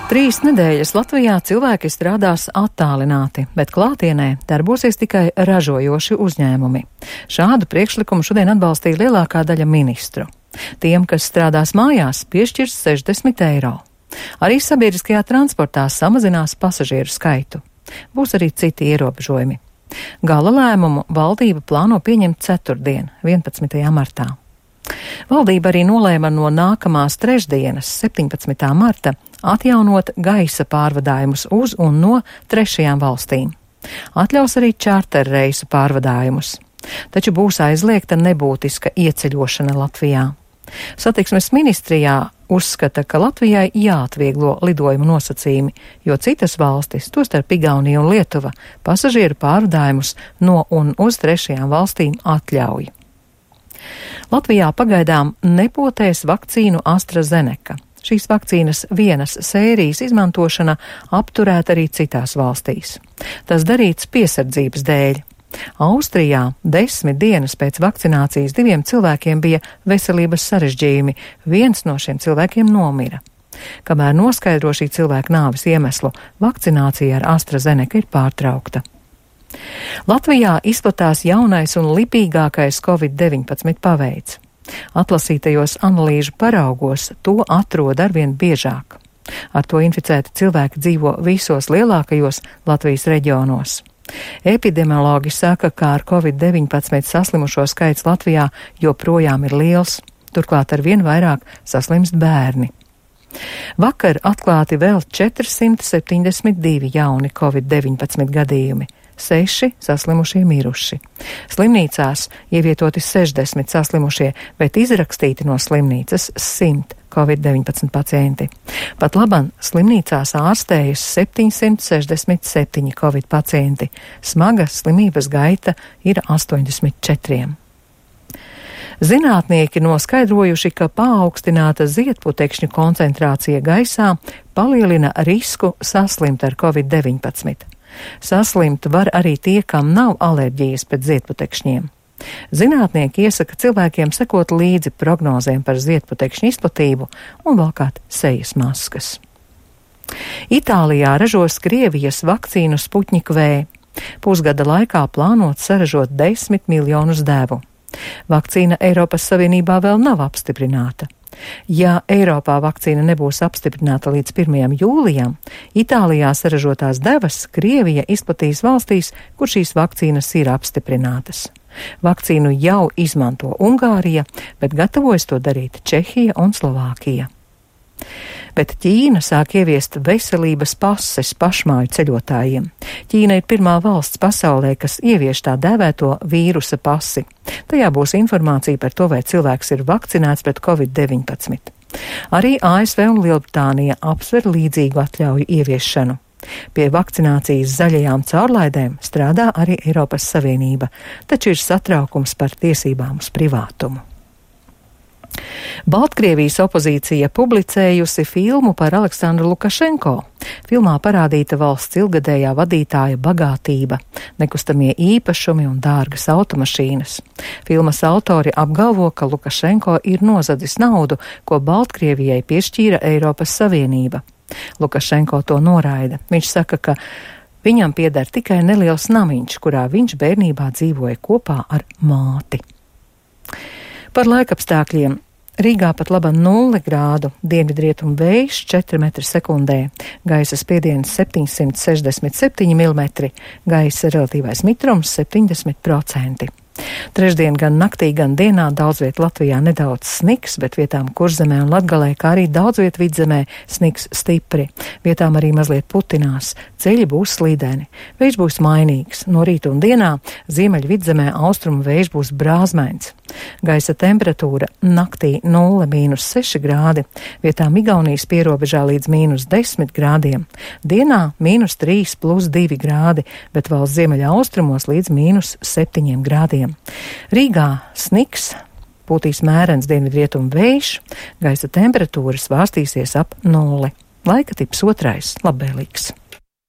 3 nedēļas Latvijā cilvēki strādās attālināti, bet klātienē darbosies tikai ražojoši uzņēmumi. Šādu priekšlikumu šodien atbalstīja lielākā daļa ministru. Tiem, kas strādās mājās, piešķirs 60 eiro. Arī sabiedriskajā transportā samazinās pasažieru skaitu. Būs arī citi ierobežojumi. Gala lēmumu valdība plāno pieņemt ceturtdien, 11. martā. Valdība arī nolēma no nākamās trešdienas, 17. marta, atjaunot gaisa pārvadājumus uz un no 3. valstīm. Atļaus arī čārterreisu pārvadājumus. Taču būs aizliegta nebūtiska ieceļošana Latvijā. Satiksmes ministrijā uzskata, ka Latvijai jāatvieglo lidojumu nosacījumi, jo citas valstis, tostarp Igaunija un Lietuva, pasažieru pārvadājumus no un uz 3. valstīm atļauj. Latvijā pagaidām nepotēs vakcīnu AstraZeneca. Šīs vakcīnas vienas sērijas izmantošana apturēta arī citās valstīs. Tas darīts piesardzības dēļ. Austrijā 10 dienas pēc vakcinācijas 2 cilvēkiem bija veselības sarežģījumi, viens no šiem cilvēkiem nomira. Kamēr noskaidro šī cilvēka nāves iemeslu, vakcinācija ar AstraZeneca ir pārtraukta. Latvijā izplatās jaunais un lipīgākais Covid-19 paveids. Atlasītajos analīžu paraugos to atrod arvien biežāk. Ar to inficēti cilvēki dzīvo visos lielākajos Latvijas reģionos. Epidemiologi saka, ka ar Covid-19 saslimušo skaits Latvijā joprojām ir liels, turklāt arvien vairāk saslimst bērni. Vakar atklāti vēl 472 jauni Covid-19 gadījumi. 6 saslimušie miruši. Slimnīcās ievietoti 60 saslimušie, bet izrakstīti no slimnīcas 100 Covid-19 pacienti. Pat labam slimnīcās ārstējas 767 Covid pacienti. Smaga slimības gaita ir 84. Zinātnieki noskaidrojuši, ka paaugstināta ziedputekšņu koncentrācija gaisā palielina risku saslimt ar Covid-19. Saslimt var arī tie, kam nav alerģijas pret ziedputekšņiem. Zinātnieki iesaka cilvēkiem sekot līdzi prognozēm par ziedputekšņu izplatību un valkāt sejas maskas. Itālijā ražos Krievijas vakcīnu Sputnik V. Pusgada laikā plānots saražot 10 miljonus devu. Vakcīna Eiropas Savienībā vēl nav apstiprināta. Ja Eiropā vakcīna nebūs apstiprināta līdz 1. jūlijam, Itālijā saražotās devas Krievija izplatīs valstīs, kur šīs vakcīnas ir apstiprinātas. Vakcīnu jau izmanto Ungārija, bet gatavojas to darīt Čehija un Slovākija. Bet Ķīna sāk ieviest veselības pases pašmāju ceļotājiem. Ķīna ir pirmā valsts pasaulē, kas ievieš tā dēvēto vīrusa pasi. Tajā būs informācija par to, vai cilvēks ir vakcinēts pret Covid-19. Arī ASV un Lielbritānija apsver līdzīgu atļauju ieviešanu. Pie vakcinācijas zaļajām caurlaidēm strādā arī Eiropas Savienība, taču ir satraukums par tiesībām uz privātumu. Baltkrievijas opozīcija publicējusi filmu par Aleksandru Lukašenko. Filmā parādīta valsts ilgadējā vadītāja bagātība, nekustamie īpašumi un dārgas automašīnas. Filmas autori apgalvo, ka Lukašenko ir nozadzis naudu, ko Baltkrievijai piešķīra Eiropas Savienība. Lukašenko to noraida. Viņš saka, ka viņam pieder tikai neliels namiņš, kurā viņš bērnībā dzīvoja kopā ar māti. Par laikapstākļiem. Rīgā pat laba 0 grādu, dienvidrietumu vējš 4 metri sekundē, gaisa spiediens 767 mm, gaisa relatīvais mitrums 70%. Trešdien gan naktī, gan dienā daudzviet Latvijā nedaudz sniks, bet vietām Kurzemē un Latgalē, kā arī daudzviet Vidzemē sniks stipri. Vietām arī mazliet putinās, ceļi būs slīdeni. Vējš būs mainīgs, no rīta un dienā ziemeļu Vidzemē austrumu vējš būs brāzmains. Gaisa temperatūra naktī 0–6 grādi, vietām Igaunijas pierobežā līdz -10 grādiem. Dienā -3+2 grādi, bet valsts ziemeļa austrumos līdz -7 grādiem. Rīgā sniks, pūtīs mērens dienvidrietumu vējš, gaisa temperatūra svārstīsies ap 0. Laika tips 2. labvēlīgs.